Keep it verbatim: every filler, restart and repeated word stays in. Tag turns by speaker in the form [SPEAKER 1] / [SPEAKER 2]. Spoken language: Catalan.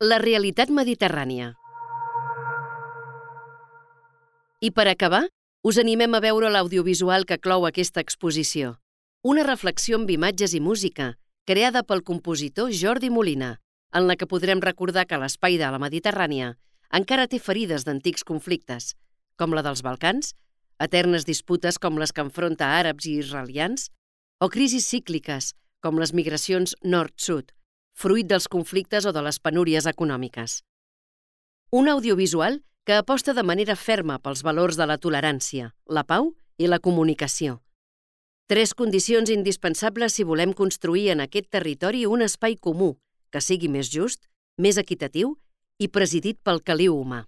[SPEAKER 1] La realitat mediterrània. I per acabar, us animem a veure l'audiovisual que clou aquesta exposició. Una reflexió amb imatges i música, creada pel compositor Jordi Molina, en la que podrem recordar que l'espai de la Mediterrània encara té ferides d'antics conflictes, com la dels Balcans, eternes disputes com les que enfronta àrabs i israelians, o crisis cícliques, com les migracions nord-sud, fruit dels conflictes o de les penúries econòmiques. Un audiovisual que aposta de manera ferma pels valors de la tolerància, la pau i la comunicació. Tres condicions indispensables si volem construir en aquest territori un espai comú que sigui més just, més equitatiu i presidit pel caliu humà.